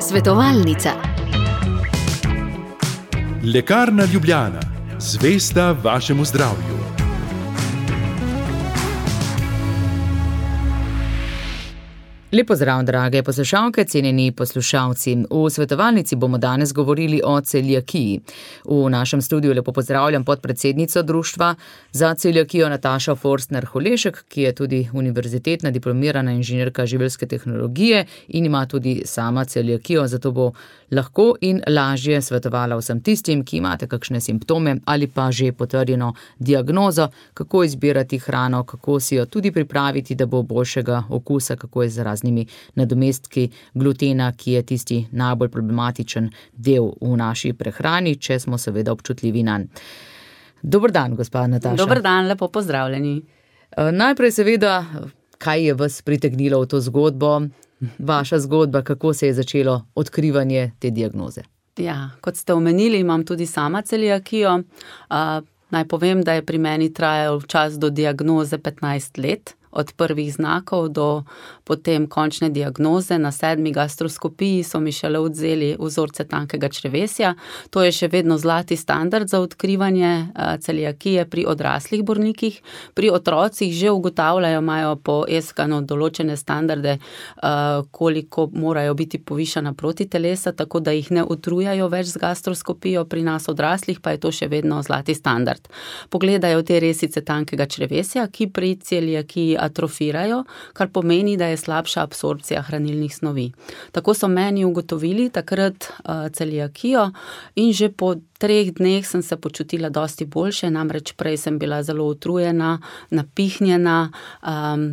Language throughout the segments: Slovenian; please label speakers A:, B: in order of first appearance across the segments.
A: Svetovalnica.
B: Lekarna Ljubljana, zvesta vašemu zdravju.
C: Lep pozdrav, drage poslušalke, cenjeni poslušalci. V svetovalnici bomo danes govorili o celiakiji. V našem studiu lepo pozdravljam podpredsednico Društva za celiakijo Natašo Forstner-Holešek, ki je tudi univerzitetna diplomirana inženirka živilske tehnologije in ima tudi sama celiakijo, zato bo lahko in lažje svetovala vsem tistim, ki imate kakšne simptome ali pa že potrjeno diagnozo, kako izbirati hrano, kako si jo tudi pripraviti, da bo boljšega okusa, kako je z raznimi nadomestki glutena, ki je tisti najbolj problematičen del v naši prehrani, če smo seveda občutljivi nanj. Dober dan, gospa Nataša.
D: Dober dan, lepo pozdravljeni.
C: Najprej seveda, kaj je vas pritegnilo v to zgodbo, vaša zgodba, kako se je začelo odkrivanje te diagnoze?
D: Ja, kot ste omenili, imam tudi sama celiakijo. Naj povem, da je pri meni trajal čas do diagnoze 15 let. Od prvih znakov do potem končne diagnoze. Na 7. gastroskopiji so mi šele odvzeli vzorce tankega črevesja. To je še vedno zlati standard za odkrivanje celiakije pri odraslih bolnikih. Pri otrocih že ugotavljajo, imajo po ESKAN-u določene standarde, koliko morajo biti povišana protitelesa, tako da jih ne utrujajo več z gastroskopijo. Pri nas odraslih pa je to še vedno zlati standard. Pogledajo te resice tankega črevesja, ki pri celiakiji atrofirajo, kar pomeni, da je slabša absorpcija hranilnih snovi. Tako so meni ugotovili takrat celiakijo in že po 3 dneh sem se počutila dosti boljše, namreč prej sem bila zelo utrujena, napihnjena,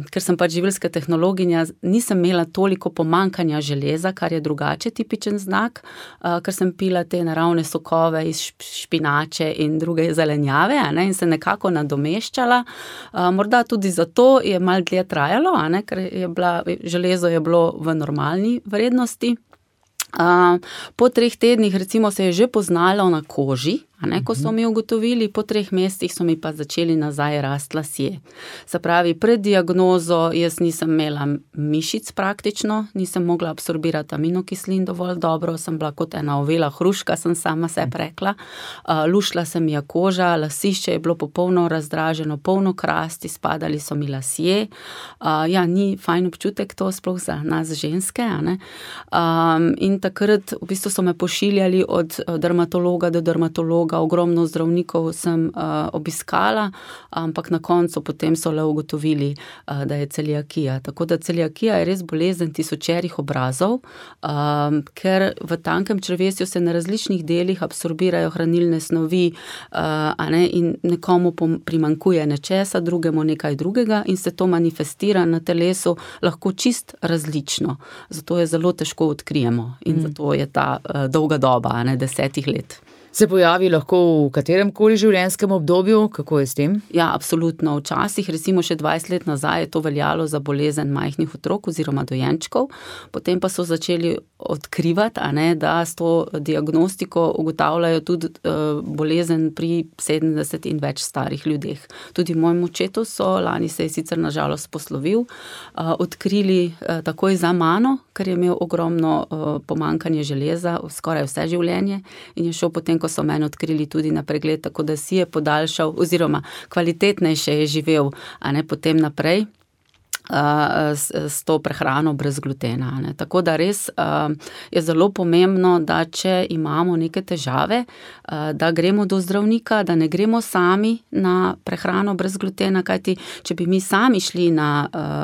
D: ker sem pač živilska tehnologinja, nisem imela toliko pomanjkanja železa, kar je drugače tipičen znak, ker sem pila te naravne sokove iz špinače in druge zelenjave, in se nekako nadomeščala. Morda tudi zato je malo dlje trajalo, ker železo je bilo v normalni vrednosti. Po 3 tednih recimo se je že poznalo na koži, ko so mi ugotovili, po 3 mesecih so mi pa začeli nazaj rasti lasje. Se pravi, pred diagnozo jaz nisem imela mišic praktično, nisem mogla absorbirati aminokislin dovolj dobro, sem bila kot ena ovela hruška, sem sama sebi rekla. Lušla se mi je koža, lasišče je bilo popolno razdraženo, polno krasti, spadali so mi lasje. Ni fajn občutek to, sploh za nas ženske, in takrat v bistvu so me pošiljali od dermatologa do dermatologa, ogromno zdravnikov sem obiskala, ampak na koncu potem so le ugotovili, da je celiakija. Tako da celiakija je res bolezen tisočerih obrazov, ker v tankem črevesju se na različnih delih absorbirajo hranilne snovi, in nekomu primanjkuje nečesa, drugemu nekaj drugega in se to manifestira na telesu lahko čist različno. Zato je zelo težko odkrijemo in zato je ta dolga doba, 10 let.
C: Se pojavi lahko v katerem koli življenjskem obdobju? Kako je s tem?
D: Ja, absolutno. Včasih, recimo še 20 let nazaj, je to veljalo za bolezen majhnih otrok oziroma dojenčkov. Potem pa so začeli odkrivati, da s to diagnostiko ugotavljajo tudi bolezen pri 70 in več starih ljudeh. Tudi mojemu očetu so, lani se je sicer na žalost poslovil, odkrili takoj za mano, ker je imel ogromno pomanjkanje železa skoraj vse življenje in je šel potem, ko so meni odkrili tudi na pregled, tako da si je podaljšal oziroma kvalitetnejše je živel, potem naprej s to prehrano brez glutena. Tako da res je zelo pomembno, da če imamo neke težave, da gremo do zdravnika, da ne gremo sami na prehrano brez glutena, kajti če bi mi sami šli na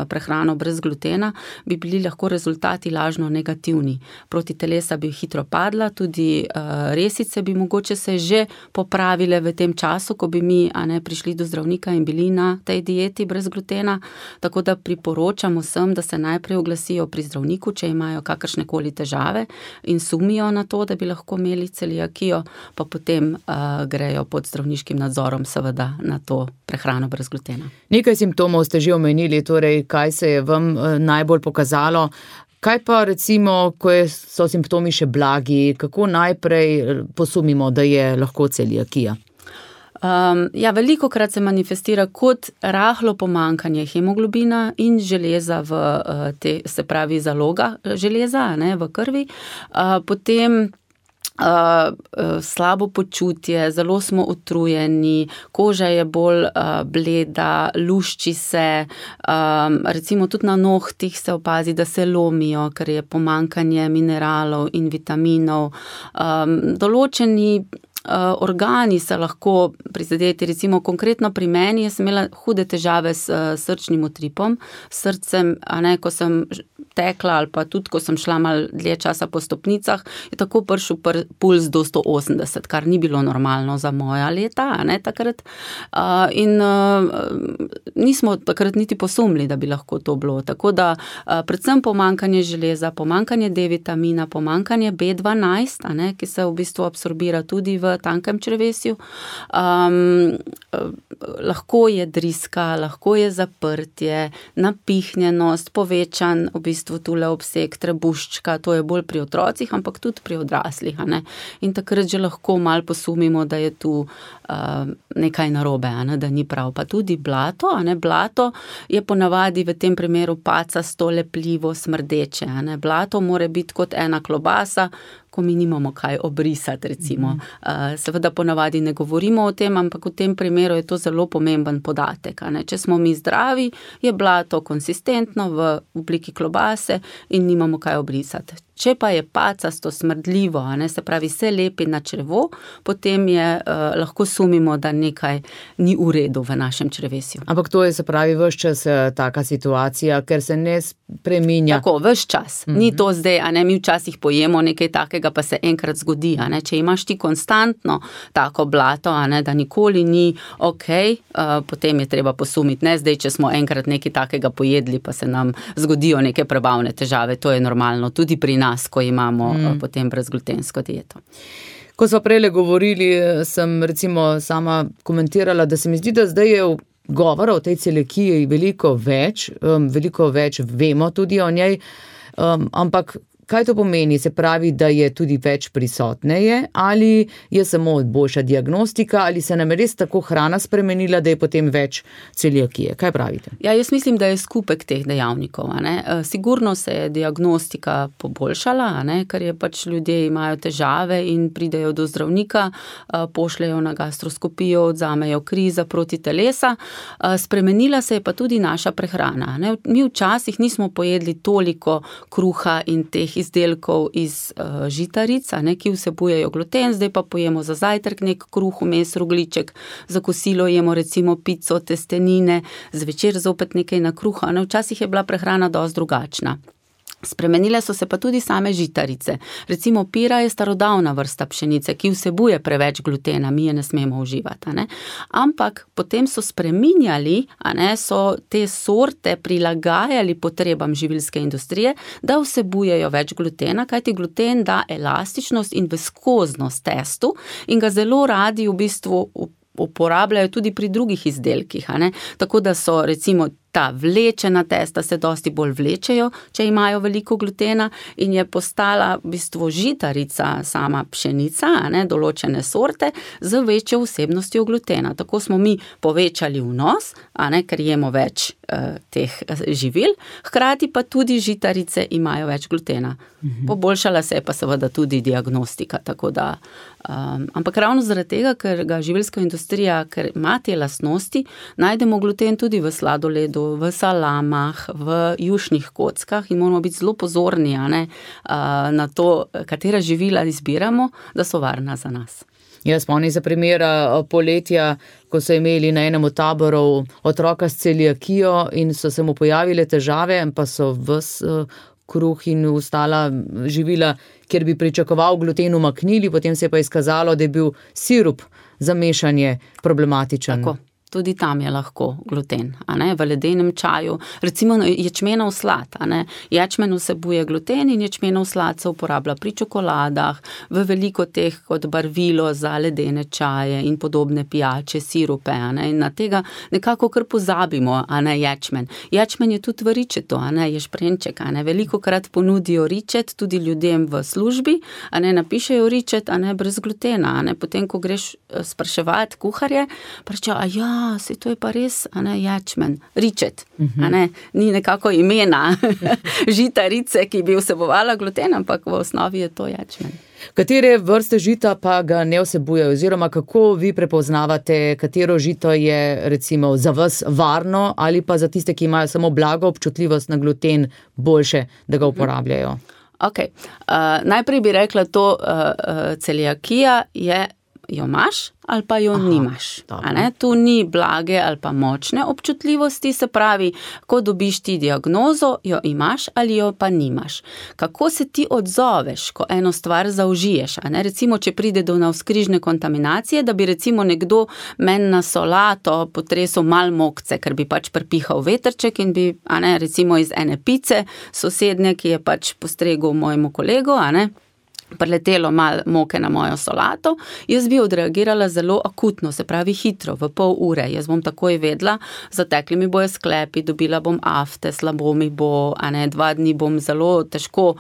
D: prehrano brez glutena, bi bili lahko rezultati lažno negativni. Protitelesa bi hitro padla, tudi resice bi mogoče se že popravile v tem času, ko bi mi prišli do zdravnika in bili na tej dieti brez glutena, tako da priporočam vsem, da se najprej oglasijo pri zdravniku, če imajo kakršnekoli težave in sumijo na to, da bi lahko imeli celiakijo, pa potem grejo pod zdravniškim nadzorom seveda na to prehrano brez glutena.
C: Nekaj simptomov ste že omenili, torej kaj se je vam najbolj pokazalo. Kaj pa recimo, ko so simptomi še blagi, kako najprej posumimo, da je lahko celiakija?
D: Ja, velikokrat se manifestira kot rahlo pomanjkanje hemoglobina in železa se pravi zaloga železa, ne, v krvi. Potem slabo počutje, zelo smo utrujeni, koža je bolj bleda, lušči se, recimo tudi na nohtih se opazi, da se lomijo, ker je pomanjkanje mineralov in vitaminov. Določeni organi se lahko prizadeti, recimo konkretno pri meni, jaz sem imela hude težave s srčnim utripom, srcem, ko sem tekla ali pa tudi, ko sem šla malo dlje časa po stopnicah, je tako prišel puls do 180, kar ni bilo normalno za moja leta, takrat. In nismo takrat niti posumili, da bi lahko to bilo. Tako da predvsem pomanjkanje železa, pomanjkanje D-vitamina, pomanjkanje B12, ki se v bistvu absorbira tudi v tankem črevesju. Lahko je driska, lahko je zaprtje, napihnjenost, povečan v bistvu tule obseg trebuščka, to je bolj pri otrocih, ampak tudi pri odraslih. In takrat že lahko malo posumimo, da je tu nekaj narobe, da ni prav. Pa tudi blato, blato je ponavadi v tem primeru pacasto, lepljivo, smrdeče. Blato mora biti kot ena klobasa, ko mi nimamo kaj obrisati, recimo. Seveda ponavadi ne govorimo o tem, ampak v tem primeru je to zelo pomemben podatek. Če smo mi zdravi, je blato konsistentno v obliki klobase in nimamo kaj obrisati. Če pa je pacasto, smrdljivo, se pravi se lepi na črevo, potem lahko sumimo, da nekaj ni v redu v našem črevesju.
C: Ampak to je, se pravi, ves čas taka situacija, ker se ne spreminja.
D: Tako, ves čas. Ni to zdaj, mi včasih pojemo nekaj takega, pa se enkrat zgodi. Če imaš ti konstantno tako blato, da nikoli ni potem je treba posumiti. Ne zdaj, če smo enkrat nekaj takega pojedli, pa se nam zgodijo neke prebavne težave. To je normalno. Tudi pri nas, ko imamo potem brezglutensko dieto.
C: Ko smo prejle govorili, sem recimo sama komentirala, da se mi zdi, da zdaj je govora o tej celiakiji veliko več vemo tudi o njej, ampak kaj to pomeni? Se pravi, da je tudi več prisotneje, ali je samo boljša diagnostika, ali se nam je res tako hrana spremenila, da je potem več celiakije? Kaj pravite?
D: Ja, jaz mislim, da je skupek teh dejavnikov. Sigurno se je diagnostika poboljšala, ker je pač ljudje imajo težave in pridejo do zdravnika, pošljejo na gastroskopijo, odzamejo kri za proti telesa. Spremenila se je pa tudi naša prehrana. Mi včasih nismo pojedli toliko kruha in teh izdelkov iz žitaric, ki vsebujejo gluten, zdaj pa pojemo za zajtrk nek kruh, vmes rogljiček, za kosilo jemo recimo pico, testenine, zvečer zopet nekaj na kruha. Včasih je bila prehrana dosti drugačna. Spremenile so se pa tudi same žitarice. Recimo pira je starodavna vrsta pšenice, ki vsebuje preveč glutena, mi je ne smemo uživati. Ampak potem so spreminjali, so te sorte prilagajali potrebam živilske industrije, da vsebujejo več glutena, kajti gluten da elastičnost in viskoznost testu in ga zelo radi v bistvu uporabljajo tudi pri drugih izdelkih. Tako da so recimo ta vlečena testa se dosti bolj vlečejo, če imajo veliko glutena in je postala v bistvu žitarica sama pšenica, določene sorte, z večjo vsebnostjo glutena. Tako smo mi povečali vnos, ker jemo več teh živil, hkrati pa tudi žitarice imajo več glutena. Poboljšala se je pa seveda tudi diagnostika, tako da ampak ravno zaradi tega, ker ga živilska industrija, ker ima te lastnosti, najdemo gluten tudi v sladoledu, v salamah, v jušnih kockah in moramo biti zelo pozorni na to, katera živila izbiramo, da so varna za nas.
C: Jaz spomnim se primera poletja, ko so imeli na enem od taborov otroka s celiakijo in so se mu pojavile težave, pa so ves kruh in ostala živila, kjer bi pričakoval gluten, umaknili, potem se je pa izkazalo, da je bil sirup za mešanje problematičen.
D: Tako. Tudi tam je lahko gluten, v ledenem čaju, recimo ječmenov slad, Ječmen vsebuje gluten in ječmenov slad se uporablja pri čokoladah, v veliko teh kot barvilo za ledene čaje in podobne pijače, sirupe, in na tega nekako kar pozabimo, ječmen. Ječmen je tudi v ričetu, ješprenček, velikokrat ponudijo ričet tudi ljudem v službi, napišejo ričet, brez glutena, potem, ko greš spraševati kuharje, pravijo, saj to je pa res, ječmen, ričet, ni nekako imena žitarice, ki bi vsebovala gluten, ampak v osnovi je to ječmen.
C: Katere vrste žita pa ga ne vsebujejo, oziroma kako vi prepoznavate, katero žito je recimo za vas varno ali pa za tiste, ki imajo samo blago občutljivost na gluten, boljše, da ga uporabljajo?
D: Najprej bi rekla to, celiakija je, jo imaš ali pa jo nimaš. Tu ni blage ali pa močne občutljivosti, se pravi, ko dobiš ti diagnozo, jo imaš ali jo pa nimaš. Kako se ti odzoveš, ko eno stvar zaužiješ? Recimo, če pride do navzkrižne kontaminacije, da bi recimo nekdo meni na solato potresel malo mokce, ker bi pač prepihal vetrček in bi, recimo iz ene pice sosednje, ki je pač postregel mojemu kolegu, preletelo malo moke na mojo solato, jaz bi odreagirala zelo akutno, se pravi hitro, v pol ure. Jaz bom takoj vedela, zatekli mi bojo sklepi, dobila bom afte, slabo mi bo, 2 dni bom zelo težko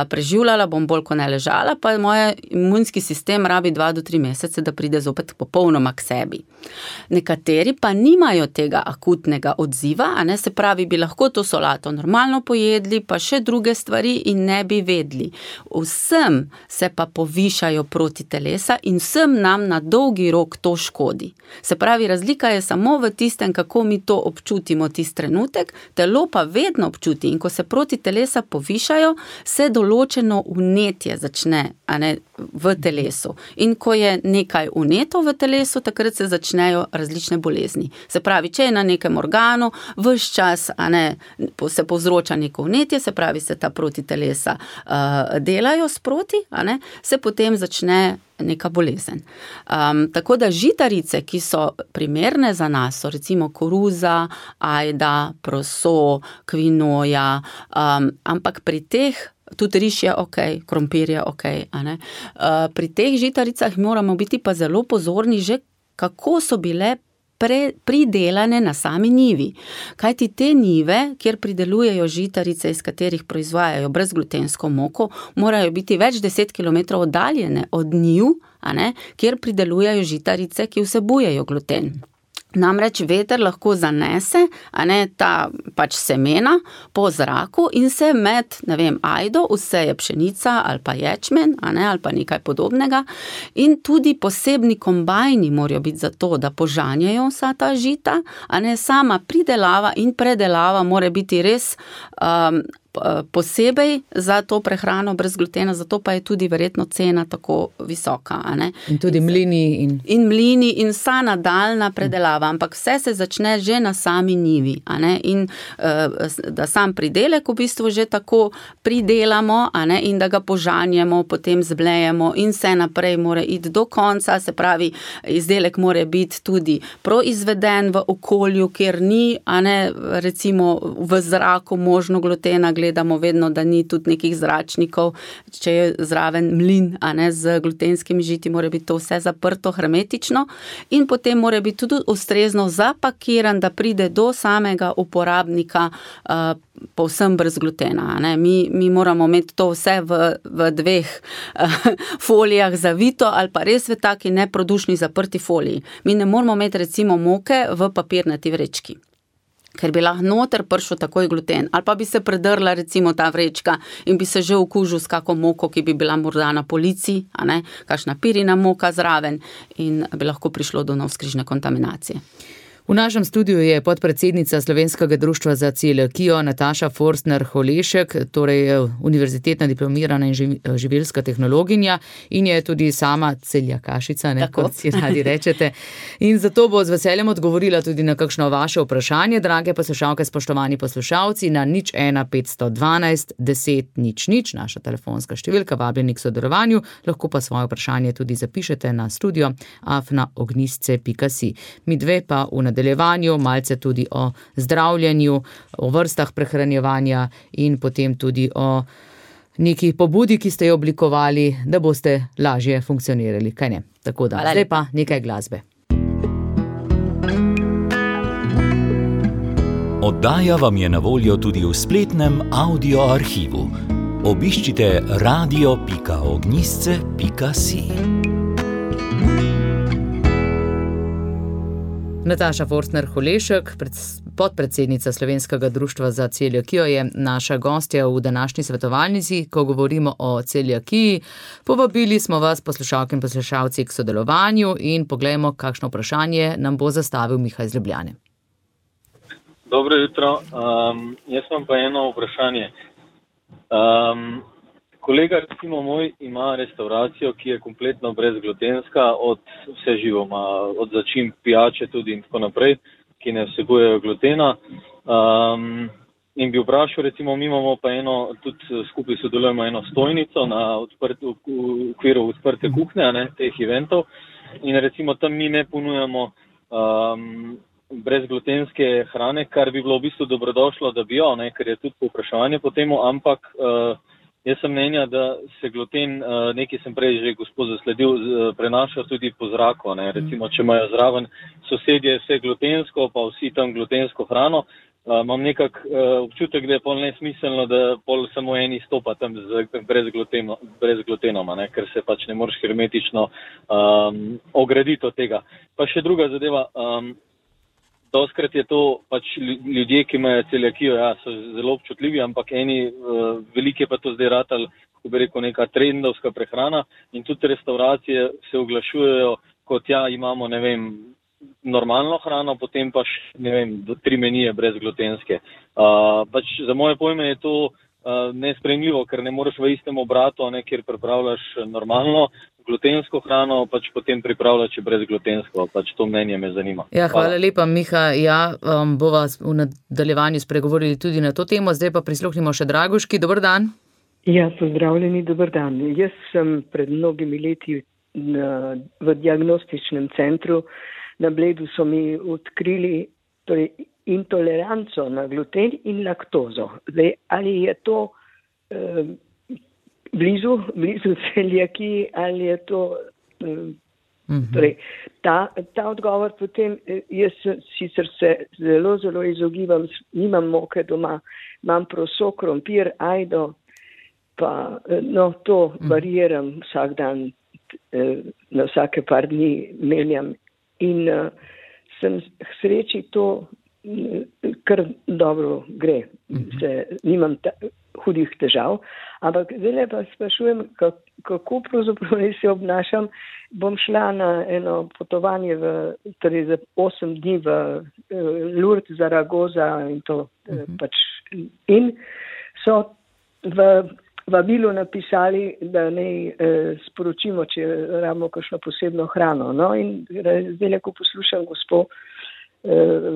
D: preživljala, bom bolj ko ne ležala, pa moj imunski sistem rabi 2 do 3 mesece, da pride zopet popolnoma k sebi. Nekateri pa nimajo tega akutnega odziva, se pravi, bi lahko to solato normalno pojedli, pa še druge stvari in ne bi vedli. Vsem se pa povišajo protitelesa in vsem nam na dolgi rok to škodi. Se pravi, razlika je samo v tistem, kako mi to občutimo tisti trenutek, telo pa vedno občuti in ko se protitelesa povišajo, se določeno vnetje začne v telesu. In ko je nekaj vneto v telesu, takrat se začnejo različne bolezni. Se pravi, če je na nekem organu, ves čas se povzroča neko vnetje, se pravi, se ta protitelesa delajo sproti, se potem začne neka bolezen. Tako da žitarice, ki so primerne za nas, so recimo koruza, ajda, proso, kvinoja, ampak pri teh, tudi riž je krompir je pri teh žitaricah moramo biti pa zelo pozorni že, kako so bile pridelane na sami njivi. Kajti te njive, kjer pridelujejo žitarice, iz katerih proizvajajo brezglutensko moko, morajo biti več 10 km oddaljene od njiv, kjer pridelujejo žitarice, ki vsebujejo gluten. Namreč veter lahko zanese, ta pač semena po zraku in se med, ajdo, vseje pšenica ali pa ječmen, ali pa nekaj podobnega. In tudi posebni kombajni morajo biti za to, da požanjajo vsa ta žita, sama pridelava in predelava mora biti res posebej za to prehrano brez glutena, zato pa je tudi verjetno cena tako visoka.
C: In tudi mlini.
D: In mlini in vsa nadaljna predelava, ampak vse se začne že na sami njivi. In da sam pridelek v bistvu že tako pridelamo, in da ga požanjemo, potem zblejemo in vse naprej mora iti do konca, se pravi, izdelek mora biti tudi proizveden v okolju, kjer ni, recimo v zraku možno glutena, gledamo vedno, da ni tudi nekih zračnikov, če je zraven mlin, z glutenskimi žiti, mora biti to vse zaprto, hermetično in potem mora biti tudi ustrezno zapakiran, da pride do samega uporabnika povsem brez glutena. Mi moramo imeti to vse v 2 folijah zavito ali pa res v taki neprodušni zaprti foliji. Mi ne moramo imeti recimo moke v papirnati vrečki, ker bi lahko noter prišel takoj gluten, ali pa bi se predrla recimo ta vrečka in bi se že okužil s kako moko, ki bi bila morda na polici, kakšna pirina moka zraven in bi lahko prišlo do navzkrižne kontaminacije.
C: V našem studiu je podpredsednica Slovenskega društva za celiakijo Nataša Forstner-Holešek, torej univerzitetna diplomirana in živilska tehnologinja in je tudi sama celiakašica, kot si radi rečete. In zato bo z veseljem odgovorila tudi na kakšno vaše vprašanje, drage poslušalke, spoštovani poslušalci, na 01 512 10 00, naša telefonska številka, vabljeni k sodelovanju, lahko pa svoje vprašanje tudi zapišete na studio@ognistce.si. Mi dve pa v nadaljevanju malce tudi o zdravljenju, o vrstah prehranjevanja in potem tudi o neki pobudi, ki ste jo oblikovali, da boste lažje funkcionirali, kaj ne? Tako da, zdaj pa nekaj glasbe.
A: Oddaja vam je na voljo tudi v spletnem audio arhivu. Obiščite radio.ognistce.si.
C: Nataša Forstner-Holešek, podpredsednica Slovenskega društva za celiakijo, je naša gostja v današnji svetovalnici, ko govorimo o celiakiji. Povabili smo vas, poslušalke in poslušalci, k sodelovanju in poglejmo, kakšno vprašanje nam bo zastavil Miha iz Ljubljane.
E: Dobro jutro. Jaz imam pa eno vprašanje. Kolega, recimo moj, ima restauracijo, ki je kompletno brezglutenska od vse živoma, od začimb, pijače tudi in tako naprej, ki ne vsebujejo glutena. In bi vprašal, recimo, mi imamo pa tudi skupaj sodelujemo eno stojnico v okviru odprte kuhne, teh eventov. In recimo tam mi ne ponujamo brezglutenske hrane, kar bi bilo v bistvu dobrodošlo, da bi jo, ker je tudi povpraševanje po temu, ampak jaz sem mnenja, da se gluten, nekaj sem prej že gospod zasledil, prenaša tudi po zraku. Recimo, če imajo zraven sosedje vse glutensko, pa vsi tam glutensko hrano, imam nekak občutek, da je pol nesmiselno, da pol samo eni stopa tam brez glutenoma, ker se pač ne moreš hermetično ograditi od tega. Pa še druga zadeva, doskrat je to pač ljudje, ki imajo celiakijo, so zelo občutljivi, ampak veliki je pa to zdaj ratal, kako bi rekel, neka trendovska prehrana in tudi restauracije se oglašujejo, kot imamo, normalno hrano, potem pa še, 3 menije brezglutenske. Pač za moje pojme je to nesprejemljivo, ker ne moreš v istem obratu, kjer pripravljaš normalno glutensko hrano, pač potem pripravljaš brezglutensko. Pač to mnenje me zanima.
C: Hvala lepa, Miha. Bova v nadaljevanju spregovorili tudi na to temo. Zdaj pa prisluhnimo še Dragoški. Dober dan.
F: Pozdravljeni, dober dan. Jaz sem pred mnogimi leti v diagnostičnem centru na Bledu so mi odkrili intoleranco na gluten in laktozo. Zdaj, ali je to blizu celiakiji, ali je to ta odgovor potem, jaz sicer se zelo izogibam, nimam moke doma, imam proso, krompir, ajdo, pa to variiram vsak dan, na vsake par dni menjam in sem k sreči to kar dobro gre, nimam hudih težav, ampak zdaj pa sprašujem, kako pravzaprav se obnašam. Bom šla na eno potovanje za 8 dni v Lourdes, Zaragoza in to pač. In so v vabilu napisali, da naj sporočimo, če rabimo kakšno posebno hrano. No, in zdaj, ko poslušam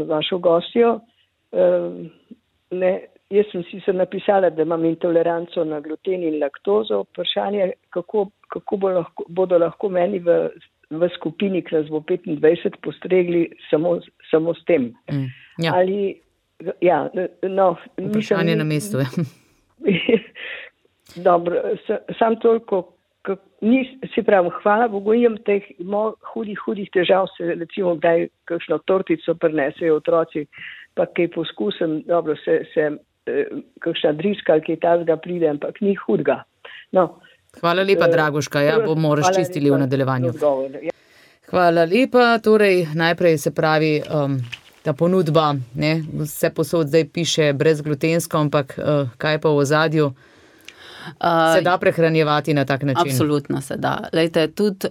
F: vašo gostjo, jaz sem sicer napisala, da imam intoleranco na gluten in laktozo. Vprašanje, kako bodo lahko meni v skupini, ki nas bo 25, postregli samo s tem. Ali,
C: vprašanje na mestu.
F: Dobro, sam toliko, se pravim, hvala Bogu, imam teh hudih težav, se recimo kdaj kakšno tortico prinesejo otroci, pa kaj poskusim, dobro, se kakšna driska ali kaj tazga pride, ampak ni hudga. No,
C: hvala lepa, Dragoška, bomo razčistili v nadaljevanju. Hvala lepa, torej najprej se pravi ta ponudba, vse posod zdaj piše brezglutensko, ampak kaj pa v ozadju? Se da prehranjevati na tak način?
D: Absolutno se da. Lejte, tudi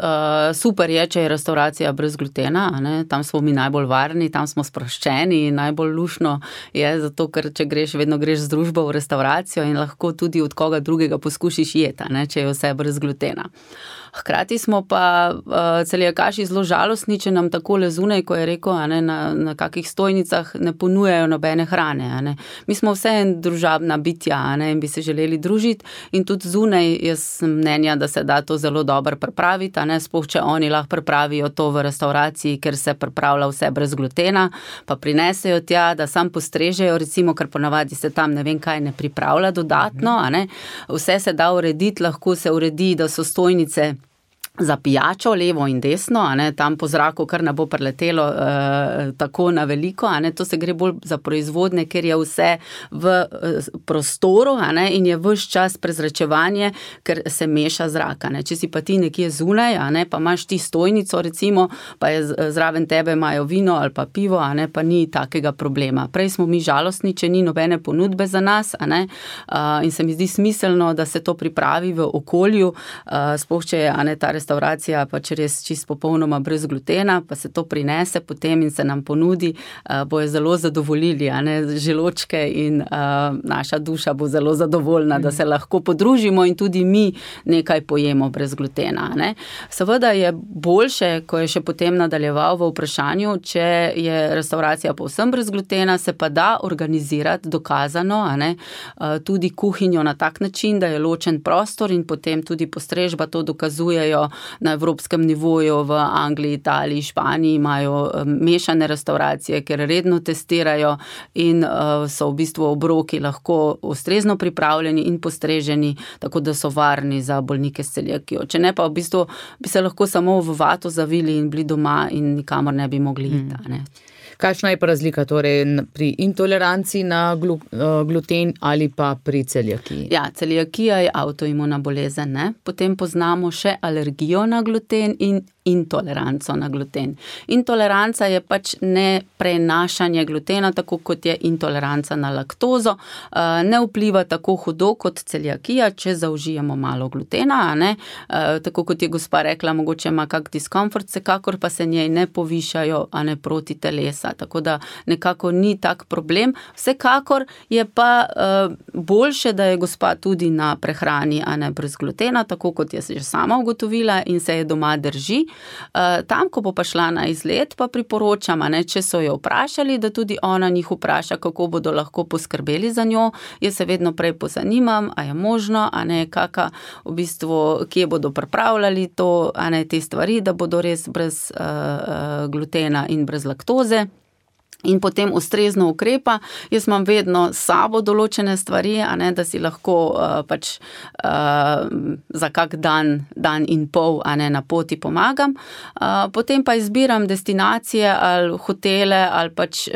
D: super je, če je restauracija brez glutena, ne? Tam smo mi najbolj varni, tam smo sproščeni in najbolj lušno je, zato ker če greš, vedno greš z družbo v restauracijo in lahko tudi od koga drugega poskušiš jeti, ne? Če je vse brez glutena. Hkrati smo pa celiakaši zelo žalostni, če nam takole zunaj, ko je rekel, na kakih stojnicah ne ponujajo nobene hrane. Mi smo vseeno družabna bitja in bi se želeli družiti in tudi zunaj jaz sem mnenja, da se da to zelo dobro pripraviti, sploh če oni lahko pripravijo to v restauraciji, ker se pripravlja vse brez glutena, pa prinesejo tja, da sam postrežejo, recimo, ker ponavadi se tam ne vem kaj ne pripravlja dodatno, Vse se da urediti, lahko se uredi, da so stojnice za pijačo, levo in desno, tam po zraku kar ne bo preletelo tako na veliko, to se gre bolj za proizvodne, ker je vse v prostoru in je ves čas prezračevanje, ker se meša zrak. Če si pa ti nekje zunaj, pa imaš ti stojnico recimo, pa je zraven tebe imajo vino ali pa pivo, pa ni takega problema. Prej smo mi žalostni, če ni nobene ponudbe za nas, in se mi zdi smiselno, da se to pripravi v okolju, sploh če je ta restauracija pač res čist popolnoma brez glutena, pa se to prinese potem in se nam ponudi, bojo zelo zadovoljili, želočke in naša duša bo zelo zadovoljna, da se lahko podružimo in tudi mi nekaj pojemo brez glutena. Seveda je boljše, ko je še potem nadaljeval v vprašanju, če je restauracija povsem brez glutena, se pa da organizirati dokazano, tudi kuhinjo na tak način, da je ločen prostor in potem tudi postrežba to dokazujejo na evropskem nivoju, v Angliji, Italiji, Španiji imajo mešane restauracije, ker redno testirajo in so v bistvu obroki lahko ustrezno pripravljeni in postreženi, tako da so varni za bolnike s celiakijo. Če ne pa v bistvu bi se lahko samo v vato zavili in bili doma in nikamor ne bi mogli iti.
C: Kakšna je pa razlika torej pri intoleranciji na gluten ali pa pri celiakiji?
D: Ja, celiakija je avtoimuna bolezen, Potem poznamo še alergijo na gluten in intoleranco na gluten. Intoleranca je pač ne prenašanje glutena, tako kot je intoleranca na laktozo. Ne vpliva tako hudo kot celiakija, če zaužijemo malo glutena, tako kot je gospa rekla, mogoče ima kak diskomfort, vsekakor pa se njej ne povišajo, proti telesa, tako da nekako ni tak problem. Vsekakor je pa boljše, da je gospa tudi na prehrani, brez glutena, tako kot je že sama ugotovila in se je doma drži. Tam, ko bo pa šla na izlet, pa priporočam, če so jo vprašali, da tudi ona njih vpraša, kako bodo lahko poskrbeli za njo. Jaz se vedno prej pozanimam, a je možno, kaka v bistvu, kje bodo pripravljali to, te stvari, da bodo res brez glutena in brez laktoze. In potem ustrezno ukrepa. Jaz imam vedno s sabo določene stvari, da si lahko pač za kak dan in pol na poti pomagam. Potem pa izbiram destinacije ali hotele, ali pač,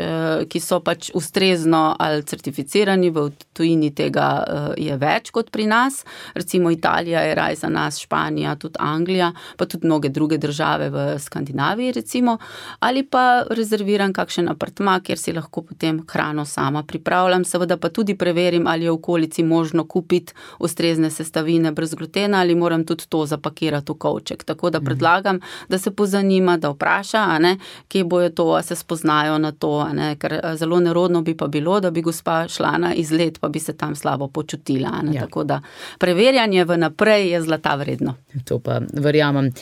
D: ki so pač ustrezno ali certificirani, v tujini tega je več kot pri nas. Recimo Italija je raj za nas, Španija, tudi Anglija, pa tudi mnoge druge države v Skandinaviji recimo. Ali pa rezerviram kakšen apartma, kjer si lahko potem hrano sama pripravljam. Seveda pa tudi preverim, ali je v okolici možno kupiti ustrezne sestavine brez glutena ali moram tudi to zapakirati v kovček. Tako da predlagam, da se pozanima, da vpraša, kje bojo to, a se spoznajo na to, ker zelo nerodno bi pa bilo, da bi gospa šla na izlet, pa bi se tam slabo počutila. Ja. Tako da preverjanje vnaprej je zlata vredno.
C: To pa verjamem.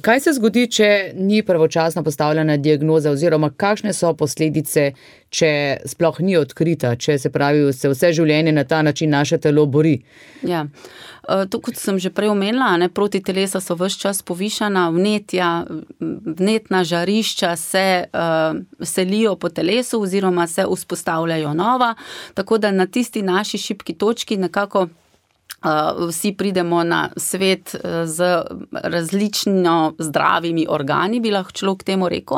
C: Kaj se zgodi, če ni pravočasno postavljena diagnoza oziroma kakšne so posledice, če sploh ni odkrita, če se pravi, se vse življenje na ta način naše telo bori?
D: Ja, to kot sem že prej omenila, proti telesa so ves čas povišana, vnetna žarišča se selijo po telesu oziroma se vzpostavljajo nova, tako da na tisti naši šibki točki nekako vsi pridemo na svet z različno zdravimi organi, bi lahko človek temu rekel,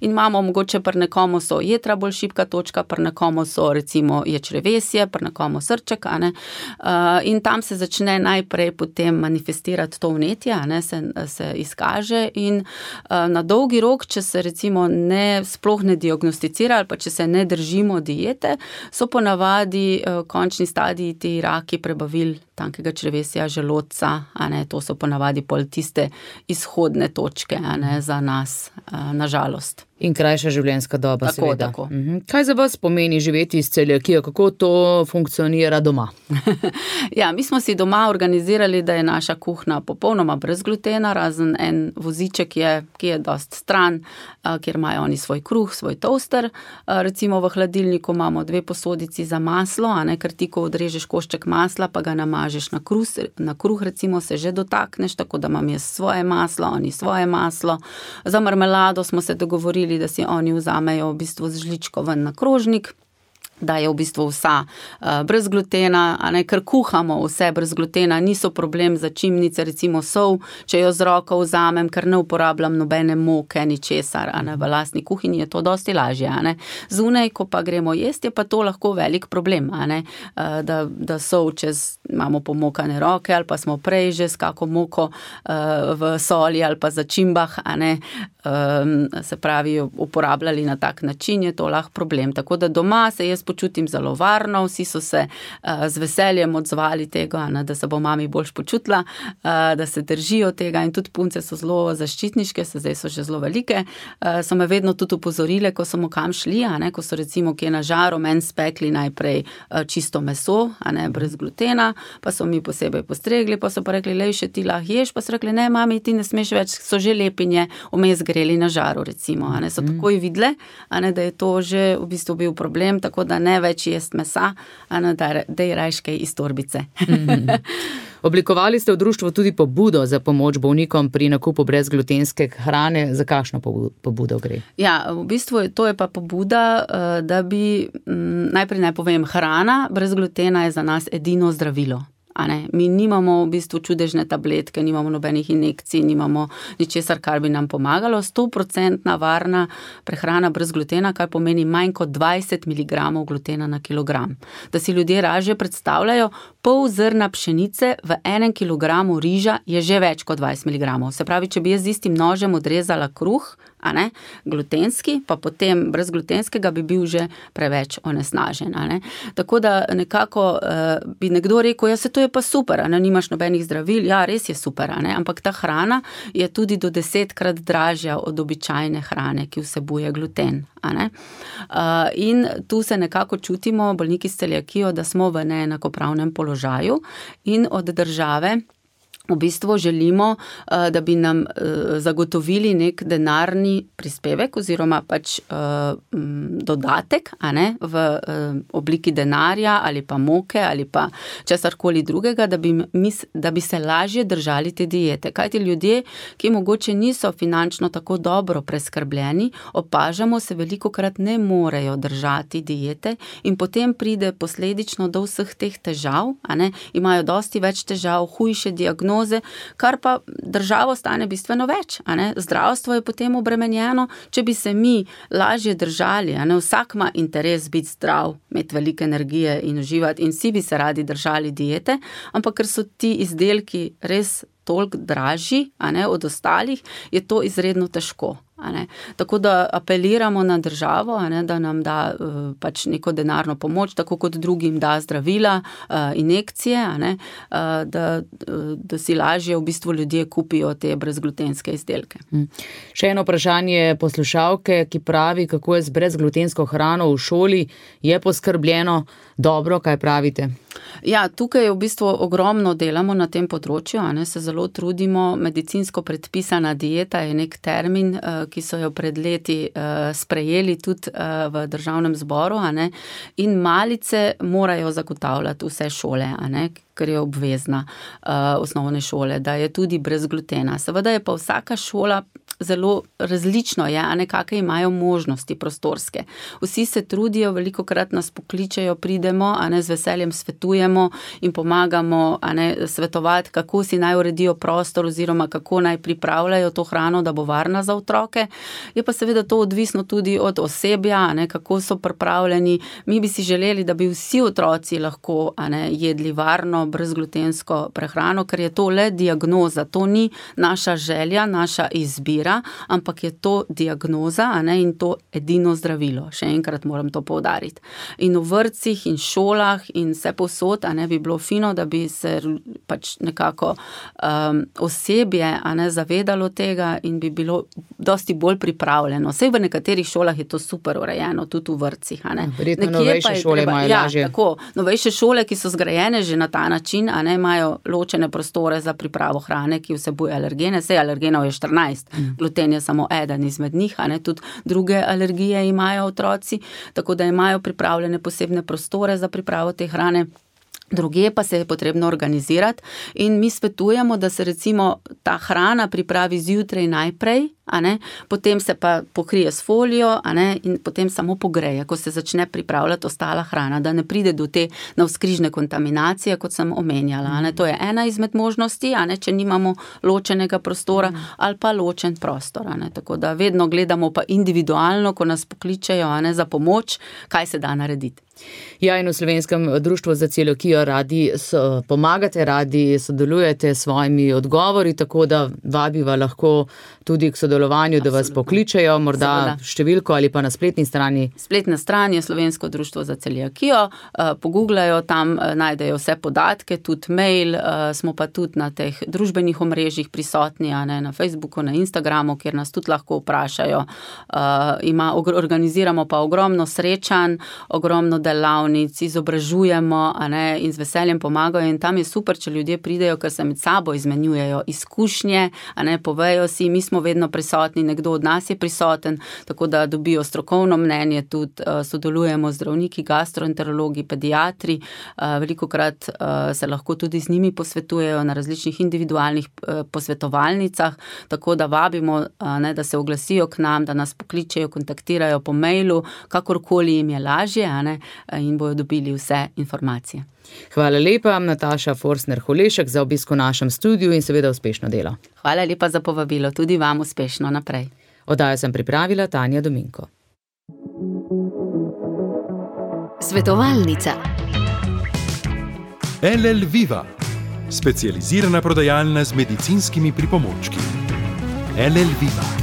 D: in imamo mogoče pri nekomu so jetra bolj šibka točka, pri nekomu so recimo je črevesje, pri nekomu srček, in tam se začne najprej potem manifestirati to vnetje, se izkaže in na dolgi rok, če se recimo sploh ne diagnosticira ali pa če se ne držimo diete, so ponavadi končni stadiji ti raki prebavil tankega črevesja, želodca, to so ponavadi pol tiste izhodne točke, za nas, nažalost.
C: In krajša življenjska doba, seveda.
D: Tako.
C: Kaj za vas pomeni živeti s celiakijo? Kako to funkcionira doma?
D: Ja, mi smo si doma organizirali, da je naša kuhna popolnoma brez glutena, razen en voziček ki je dost stran, kjer imajo oni svoj kruh, svoj toaster. Recimo v hladilniku imamo 2 posodici za maslo, ker ti, ko odrežeš košček masla, pa ga namažeš na kruh, recimo se že dotakneš, tako da imam jaz svoje maslo, oni svoje maslo. Za marmelado smo se dogovorili, da si oni vzamejo v bistvu z žličko ven na krožnik, da je v bistvu vsa brez glutena, ker kuhamo vse brez glutena, niso problem začimnice, recimo sol, če jo z roko vzamem, ker ne uporabljam nobene moke, ničesar, v lastni kuhinji je to dosti lažje, Zunaj, ko pa gremo jesti, je pa to lahko velik problem, da sol imamo pomokane roke, ali pa smo prej že s kako moko v soli ali pa začimbah, se pravi, uporabljali na tak način, je to lahko problem. Tako da doma se jaz počutim zelo varno, vsi so se z veseljem odzvali tega, da se bo mami boljš počutila, da se držijo tega in tudi punce so zelo zaščitniške, zdaj so že zelo velike, so me vedno tudi upozorile, ko smo kam šli, ko so recimo kje na žaru meni spekli najprej čisto meso, brez glutena, pa so mi posebej postregli, pa so pa rekli, lej, še ti lahko ješ, pa so rekli, ne, mami, ti ne smeš več, so že lepinje vmes greli na žaru, recimo, so takoj videle, da je to že v bistvu bil problem, tako da ne več jest mesa, da je rajškej iz torbice.
C: Oblikovali ste v društvu tudi pobudo za pomoč bolnikom pri nakupu brezglutenske hrane. Za kakšno pobudo gre?
D: Ja, v bistvu to je pa pobuda, da bi, najprej naj povem, hrana brez glutena je za nas edino zdravilo. Mi nimamo v bistvu čudežne tabletke, nimamo nobenih injekcij, nimamo ničesar, kar bi nam pomagalo. 100% varna prehrana brez glutena, kar pomeni manj kot 20 mg glutena na kilogram. Da si ljudje lažje predstavljajo, pol zrna pšenice v 1 kg riža je že več kot 20 mg. Se pravi, če bi jaz z istim nožem odrezala kruh, glutenski, pa potem brezglutenskega bi bil že preveč onesnažen. Tako da nekako bi nekdo rekel, ja, se to je pa super, nimaš nobenih zdravil, ja, res je super, ampak ta hrana je tudi do 10-krat dražja od običajne hrane, ki vsebuje gluten. In tu se nekako čutimo, bolniki s celiakijo, da smo v neenakopravnem položaju in od države v bistvu želimo, da bi nam zagotovili nek denarni prispevek oziroma pač dodatek, v obliki denarja ali pa moke ali pa česarkoli drugega, da bi se lažje držali te diete. Kajti ljudje, ki mogoče niso finančno tako dobro preskrbljeni, opažamo, se velikokrat ne morejo držati diete in potem pride posledično do vseh teh težav, imajo dosti več težav, hujše diagnoze, kar pa državo stane bistveno več. Zdravstvo je potem obremenjeno, če bi se mi lažje držali. Vsak ima interes biti zdrav, imeti veliko energije in uživati in vsi bi se radi držali diete, ampak ker so ti izdelki res toliko dražji od ostalih, je to izredno težko. Tako da apeliramo na državo, da nam da pač neko denarno pomoč, tako kot drugim da zdravila, injekcije, da si lažje v bistvu ljudje kupijo te brezglutenske izdelke.
C: Še eno vprašanje poslušalke, ki pravi, kako je z brezglutensko hrano v šoli, je poskrbljeno dobro, kaj pravite?
D: Ja, tukaj v bistvu ogromno delamo na tem področju, se zelo trudimo, medicinsko predpisana dieta je nek termin, ki so jo pred leti sprejeli tudi v državnem zboru, in malice morajo zagotavljati vse šole, ker je obvezna osnovne šole, da je tudi brez glutena. Seveda je pa vsaka šola zelo različno je, kakve imajo možnosti prostorske. Vsi se trudijo, velikokrat nas pokličejo, pridemo, z veseljem svetujemo in pomagamo svetovati, kako si naj uredijo prostor oziroma kako naj pripravljajo to hrano, da bo varna za otroke. Je pa seveda to odvisno tudi od osebja, kako so pripravljeni. Mi bi si želeli, da bi vsi otroci lahko jedli varno zdravilno, brezglutensko prehrano, ker je to le diagnoza, to ni naša želja, naša izbira, ampak je to diagnoza, in to edino zdravilo. Še enkrat moram to poudariti. In v vrtcih in šolah in vse povsod, bi bilo fino, da bi se pač nekako osebje, zavedalo tega in bi bilo dosti bolj pripravljeno. Sej v nekaterih šolah je to super urejeno, tudi v vrtcih,
C: Verjetno novejše šole imajo lažje.
D: Tako, novejše šole, ki so zgrajene že na ta način, imajo ločene prostore za pripravo hrane, ki vsebuje alergene. Sej alergenov je 14, gluten je samo eden izmed njih, tudi druge alergije imajo otroci, tako da imajo pripravljene posebne prostore za pripravo te hrane. Druge pa se je potrebno organizirati in mi svetujemo, da se recimo ta hrana pripravi zjutraj najprej, potem se pa pokrije s folijo, in potem samo pogreje, ko se začne pripravljati ostala hrana, da ne pride do te navzkrižne kontaminacije, kot sem omenjala. To je ena izmed možnosti, če nimamo ločenega prostora ali pa ločen prostor. Tako da vedno gledamo pa individualno, ko nas pokličejo za pomoč, kaj se da narediti.
C: Ja, in v Slovenskem društvu za celiakijo radi pomagate, radi sodelujete s svojimi odgovori, tako da vabiva lahko tudi k sodelovanju, da vas pokličejo, morda številko ali pa na spletni strani.
D: Spletna stran je Slovensko društvo za celiakijo, pogooglajo, tam najdejo vse podatke, tudi mail, smo pa tudi na teh družbenih omrežjih prisotni, na Facebooku, na Instagramu, kjer nas tudi lahko vprašajo. Organiziramo pa ogromno srečanj, ogromno delavnic, izobražujemo, in z veseljem pomagajo in tam je super, če ljudje pridejo, ker se med sabo izmenjujejo izkušnje, povejo si, mi smo vedno prisotni, nekdo od nas je prisoten, tako da dobijo strokovno mnenje, tudi sodelujemo z zdravniki, gastroenterologi, pediatri, velikokrat se lahko tudi z njimi posvetujejo na različnih individualnih posvetovalnicah, tako da vabimo, da se oglasijo k nam, da nas pokličejo, kontaktirajo po mailu, kakorkoli jim je lažje, in bojo dobili vse informacije.
C: Hvala lepa, Nataša Forstner-Holešek, za obisk v našem studiu in seveda uspešno delo.
D: Hvala lepa za povabilo, tudi vam uspešno naprej.
C: Oddajo sem pripravila Tanja Dominko.
B: Svetovalnica. LL Viva, specializirana prodajalna z medicinskimi pripomočki. LL Viva.